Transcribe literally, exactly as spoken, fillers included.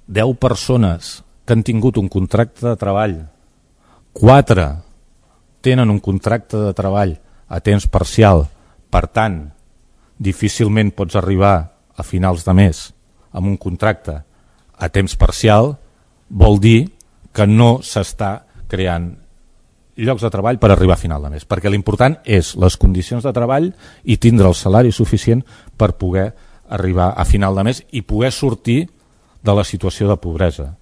deu persones que han tingut un contracte de treball, quatre tenen un contracte de treball a temps parcial, per tant, difícilment pots arribar a finals de mes amb un contracte a temps parcial, vol dir que no s'està creant llocs de treball per arribar a final de mes, perquè l'important és les condicions de treball i tindre el salari suficient per poder arribar a final de mes i poder sortir de la situació de pobresa.